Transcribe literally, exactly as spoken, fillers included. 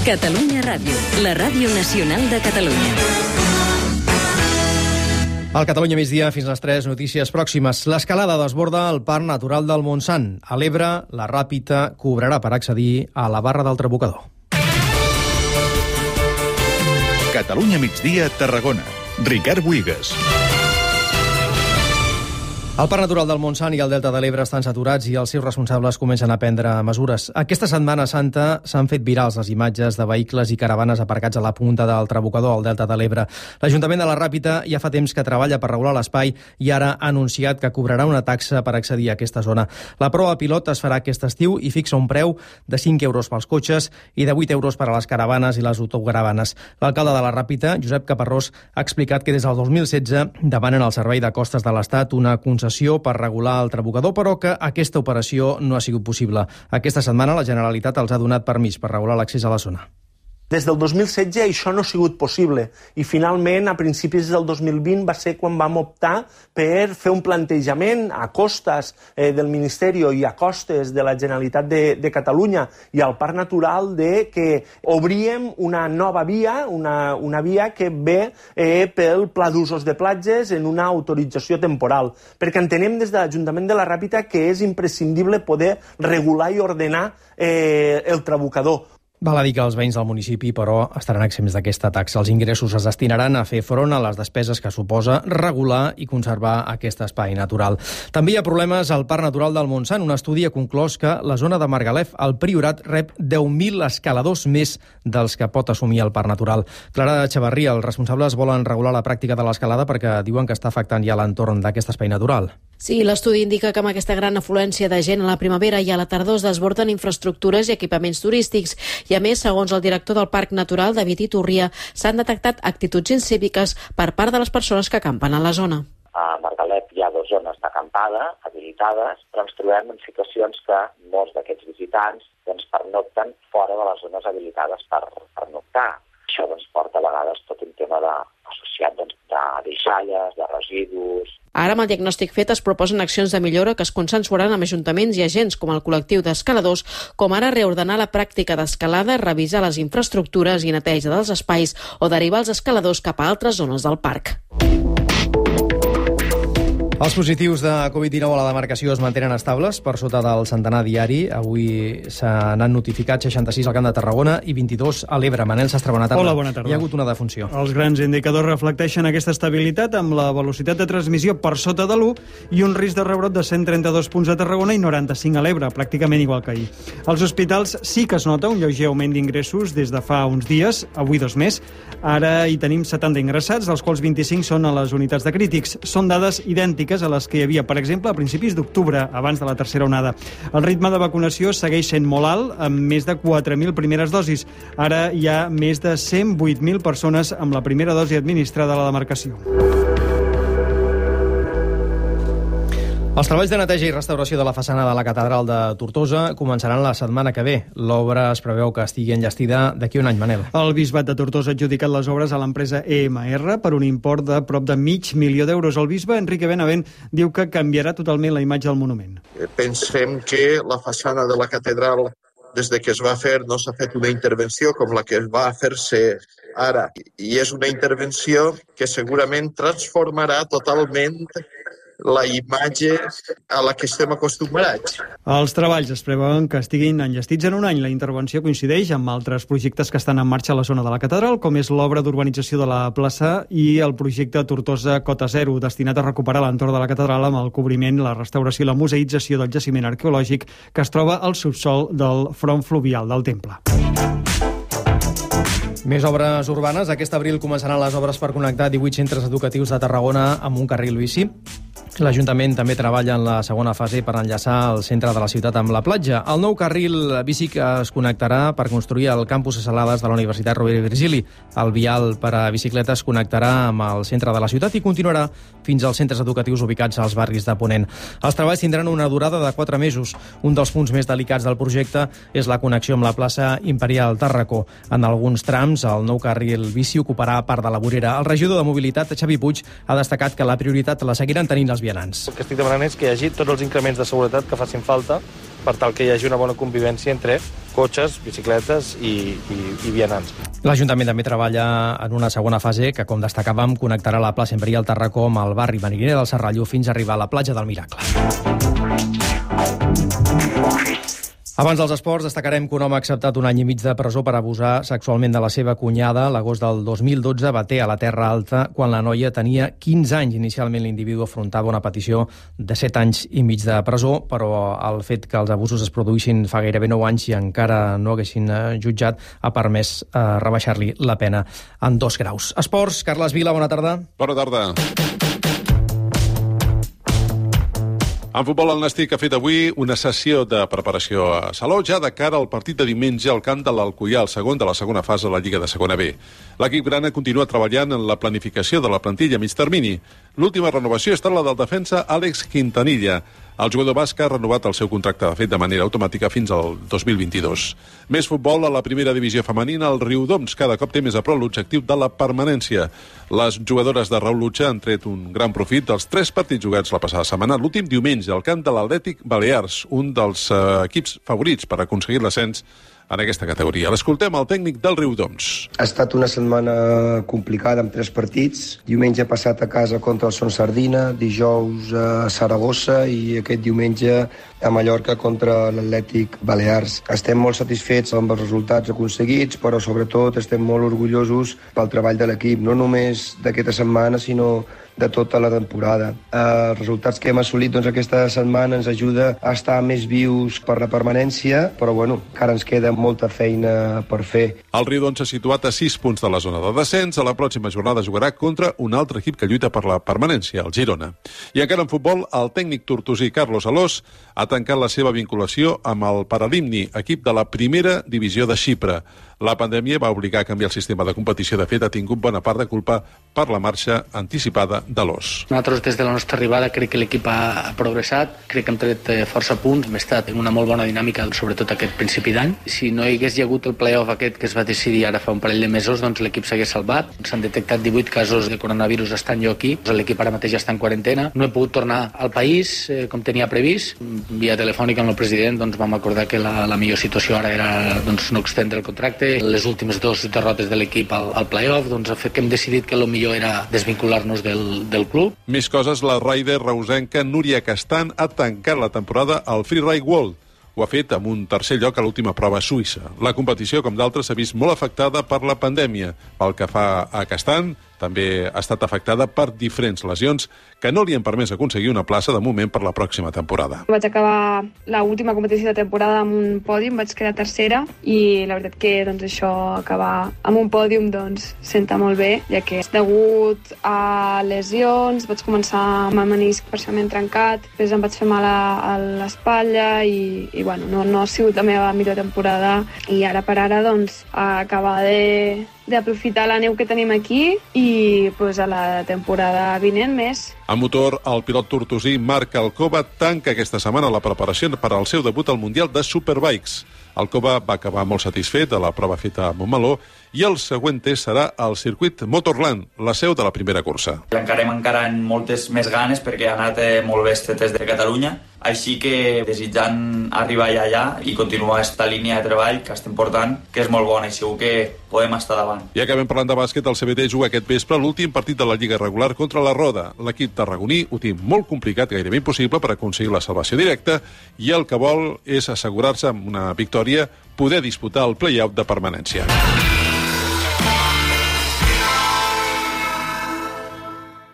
Catalunya Ràdio, la ràdio nacional de Catalunya. Al Catalunya migdia, fins a les tres, notícies pròximes. L'escalada desborda el Parc Natural del Montsant. A l'Ebre, la Ràpita cobrarà per accedir a la Barra del Trabucador. Catalunya migdia, Tarragona. Ricard Buigas. El Parc Natural del Montsant i el Delta de l'Ebre estan saturats i els seus responsables comencen a prendre mesures. Aquesta Setmana Santa s'han fet virals les imatges de vehicles i caravanes aparcats a la punta del Trabucador al Delta de l'Ebre. L'Ajuntament de la Ràpita ja fa temps que treballa per regular l'espai i ara ha anunciat que cobrarà una taxa per accedir a aquesta zona. La prova pilot es farà aquest estiu i fixa un preu de cinc euros pels cotxes i de vuit euros per a les caravanes i les autocaravanes. L'alcalde de la Ràpita, Josep Caparrós, ha explicat que des del dos mil setze demanen al Servei de Costes de l'Estat una concessió per regular el Trabucador, però que aquesta operació no ha sigut possible. Aquesta setmana la Generalitat els ha donat permís per regular l'accés a la zona. Des del dos mil setze això no ha sigut possible i finalment a principis del dos mil vint va ser quan vam optar per fer un plantejament a costes eh, del Ministeri i a costes de la Generalitat de, de Catalunya i al Parc Natural de que obríem una nova via, una, una via que ve eh, pel Pla d'Usos de Platges en una autorització temporal, perquè entenem des de l'Ajuntament de la Ràpita que és imprescindible poder regular i ordenar eh, el Trabucador. Val a dir que els veïns del municipi, però, estaran exempts d'aquesta taxa. Els ingressos es destinaran a fer front a les despeses que suposa regular i conservar aquest espai natural. També hi ha problemes al Parc Natural del Montsant. Un estudi ha conclòs que la zona de Margalef, al Priorat, rep deu mil escaladors més dels que pot assumir el Parc Natural. Clara Xavarria, els responsables volen regular la pràctica de l'escalada perquè diuen que està afectant ja l'entorn d'aquest espai natural. Sí, l'estudi indica que amb aquesta gran afluència de gent a la primavera i a la tardor es desborden infraestructures i equipaments turístics. I a més, segons el director del Parc Natural, David Iturria, s'han detectat actituds incíviques per part de les persones que acampen a la zona. A Margalef hi ha dues zones d'acampada habilitades, però ens trobem en situacions que molts d'aquests visitants doncs, pernocten fora de les zones habilitades per pernoctar. Això doncs, porta a vegades tot un tema de, associat doncs, de deixalles, de residus. Ara, amb el diagnòstic fet, es proposen accions de millora que es consensuaran amb ajuntaments i agents com el col·lectiu d'escaladors, com ara reordenar la pràctica d'escalada, revisar les infraestructures i neteja dels espais o derivar els escaladors cap a altres zones del parc. Els positius de covid dinou a la demarcació es mantenen estables per sota del centenar diari. Avui s'han notificat seixanta-sis al Camp de Tarragona i vint-i-dos a l'Ebre. Manel Sastre, bona tarda. Hola, bona tarda. Hi ha hagut una defunció. Els grans indicadors reflecteixen aquesta estabilitat amb la velocitat de transmissió per sota de l'u i un risc de rebrot de cent trenta-dos punts a Tarragona i noranta-cinc a l'Ebre, pràcticament igual que ahir. Als hospitals sí que es nota un lleuger augment d'ingressos des de fa uns dies, avui dos més. Ara hi tenim setanta ingressats, dels quals vint-i-cinc són a les unitats de crítics. Són dades idèntiques a les que hi havia, per exemple, a principis d'octubre, abans de la tercera onada. El ritme de vacunació segueix sent molt alt, amb més de quatre mil primeres dosis. Ara hi ha més de cent vuit mil persones amb la primera dosi administrada a la demarcació. Els treballs de neteja i restauració de la façana de la Catedral de Tortosa començaran la setmana que ve. L'obra es preveu que estigui enllestida d'aquí un any, Manel. El Bisbat de Tortosa ha adjudicat les obres a l'empresa E M R per un import de prop de mig milió d'euros. El bisbe, Enrique Benavent, diu que canviarà totalment la imatge del monument. Pensem que la façana de la catedral, des de que es va fer, no s'ha fet una intervenció com la que va fer-se ara. I és una intervenció que segurament transformarà totalment la imatge a la que estem acostumbrats. Els treballs es preveuen que estiguin enllestits en un any. La intervenció coincideix amb altres projectes que estan en marxa a la zona de la catedral, com és l'obra d'urbanització de la plaça i el projecte Tortosa Cota Zero, destinat a recuperar l'entorn de la catedral amb el cobriment, la restauració i la museïtzació del jaciment arqueològic que es troba al subsòl del front fluvial del temple. Més obres urbanes. Aquest abril començaran les obres per connectar divuit centres educatius de Tarragona amb un carril bici. L'Ajuntament també treballa en la segona fase per enllaçar el centre de la ciutat amb la platja. El nou carril bici que es connectarà per construir el campus de Salades de la Universitat Rovira i Virgili. El vial per a bicicletes connectarà amb el centre de la ciutat i continuarà fins als centres educatius ubicats als barris de Ponent. Els treballs tindran una durada de quatre mesos. Un dels punts més delicats del projecte és la connexió amb la plaça Imperial Tàrraco. En alguns trams, el nou carril bici ocuparà part de la vorera. El regidor de Mobilitat, Xavi Puig, ha destacat que la prioritat la seguiran tenint els als vianants. El que estic demanant és que hi hagi tots els increments de seguretat que facin falta per tal que hi hagi una bona convivència entre cotxes, bicicletes i, i, i vianants. L'Ajuntament també treballa en una segona fase que, com destacàvem, connectarà la plaça Embria al Tarracó amb el barri Mariner del Serralló fins a arribar a la platja del Miracle. Abans dels esports, destacarem que un home ha acceptat un any i mig de presó per abusar sexualment de la seva cunyada. L'agost del dos mil dotze baté a la Terra Alta quan la noia tenia quinze anys. Inicialment l'individu afrontava una petició de set anys i mig de presó, però el fet que els abusos es produïssin fa gairebé nou anys i encara no haguessin jutjat ha permès eh, rebaixar-li la pena en dos graus. Esports, Carles Vila, bona tarda. Bona tarda. En futbol, el Nàstic ha fet avui una sessió de preparació a Salou, ja de cara al partit de diumenge al camp de l'Alcoià, el segon de la segona fase de la Lliga de Segona B. L'equip grana continua treballant en la planificació de la plantilla a mig termini. L'última renovació ha estat la del defensa Àlex Quintanilla. El jugador basc ha renovat el seu contracte, de fet, de manera automàtica fins al dos mil vint-i-dos. Més futbol a la primera divisió femenina, el Riudoms cada cop té més a prop l'objectiu de la permanència. Les jugadores de Raül Lutxa han tret un gran profit dels tres partits jugats la passada setmana, l'últim diumenge al camp de l'Atlètic Balears, un dels uh, equips favorits per aconseguir l'ascens en aquesta categoria. L'escoltem al tècnic del Riudoms. Ha estat una setmana complicada amb tres partits. Diumenge passat a casa contra el Son Sardina, dijous a Saragossa i aquest diumenge a Mallorca contra l'Atlètic Balears. Estem molt satisfets amb els resultats aconseguits, però sobretot estem molt orgullosos pel treball de l'equip, no només d'aquesta setmana, sinó de tota la temporada. Els resultats que hem assolit doncs, aquesta setmana ens ajuda a estar més vius per la permanència, però bueno, encara ens queda molta feina per fer. El Riudoms s'ha situat a sis punts de la zona de descens. A la pròxima jornada jugarà contra un altre equip que lluita per la permanència, el Girona. I encara en futbol, el tècnic tortosí Carlos Alós ha tancat la seva vinculació amb el Paralimni, equip de la primera divisió de Xipre. La pandèmia va obligar a canviar el sistema de competició. De fet, ha tingut bona part de culpa per la marxa anticipada de l'Os. Nosaltres, des de la nostra arribada, crec que l'equip ha progressat, crec que hem tret força punts, hem estat en una molt bona dinàmica, sobretot aquest principi d'any. Si no hi hagués hagut el play-off aquest que es va decidir ara fa un parell de mesos, doncs l'equip s'hagués salvat. S'han detectat divuit casos de coronavirus estant jo aquí. L'equip ara mateix està en quarantena. No he pogut tornar al país eh, com tenia previst. Via telefònica amb el president doncs, vam acordar que la, la millor situació ara era doncs, no extendre el contracte. Les últimes dues derrotes de l'equip al, al play-off doncs, ha fet que hem decidit que el millor era desvincular-nos del, del club. Més coses, la rider reusenca Núria Castan ha tancat la temporada al Freeride World. Ho ha fet amb un tercer lloc a l'última prova a Suïssa. La competició, com d'altres, s'ha vist molt afectada per la pandèmia. Pel que fa a Castan, també ha estat afectada per diferents lesions que no li han permès aconseguir una plaça de moment per la pròxima temporada. Vaig acabar l'última competició de temporada amb un pòdium, vaig quedar tercera i la veritat que doncs, això acabar amb un pòdium doncs, senta molt bé, ja que degut a lesions vaig començar amb el menisc parcialment trencat, després em vaig fer mal a l'espatlla i, i bueno, no, no ha sigut la meva millor temporada i ara per ara doncs, acabar de d'aprofitar la neu que tenim aquí i pues, a la temporada vinent més. A motor, el pilot tortosí Marc Alcoba tanca aquesta setmana la preparació per al seu debut al Mundial de Superbikes. Alcoba va acabar molt satisfet de la prova feta a Montmeló i el següent test serà al circuit Motorland, la seu de la primera cursa. L'encarem encara amb moltes més ganes perquè ha anat eh, molt bé este test de Catalunya, així que desitjant arribar ja allà i continuar aquesta línia de treball que estem portant, que és molt bona i segur que podem estar davant. I acabem parlant de bàsquet, el C B T juga aquest vespre l'últim partit de la Lliga regular contra la Roda. L'equip tarragoní ho té molt complicat, gairebé impossible per aconseguir la salvació directa i el que vol és assegurar-se amb una victòria poder disputar el play-out de permanència.